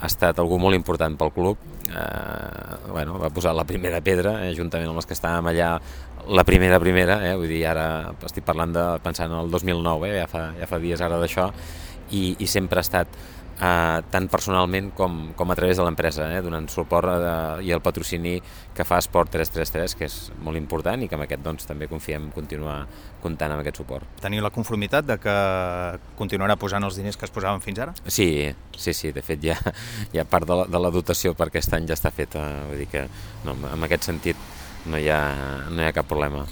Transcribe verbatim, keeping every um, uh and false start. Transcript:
ha estat algú molt important pel club, eh, bueno, va posar la primera pedra, eh, juntament amb els que estàvem allà, la primera primera, eh, vull dir, ara estic parlant de, pensant en el dos mil nou, eh, ja, fa, ja fa dies ara d'això, i, i sempre ha estat Uh, tant personalment com, com a través de l'empresa, eh, donant suport a, i el patrocini que fa Esport tres tres tres, que és molt important i que amb aquest doncs, també confiem continuar comptant amb aquest suport. Teniu la conformitat de que continuarà posant els diners que es posaven fins ara? Sí, sí, sí, de fet ja, ja part de la, de la dotació per aquest any ja està feta, vull dir que no, en aquest sentit no hi ha, no hi ha cap problema.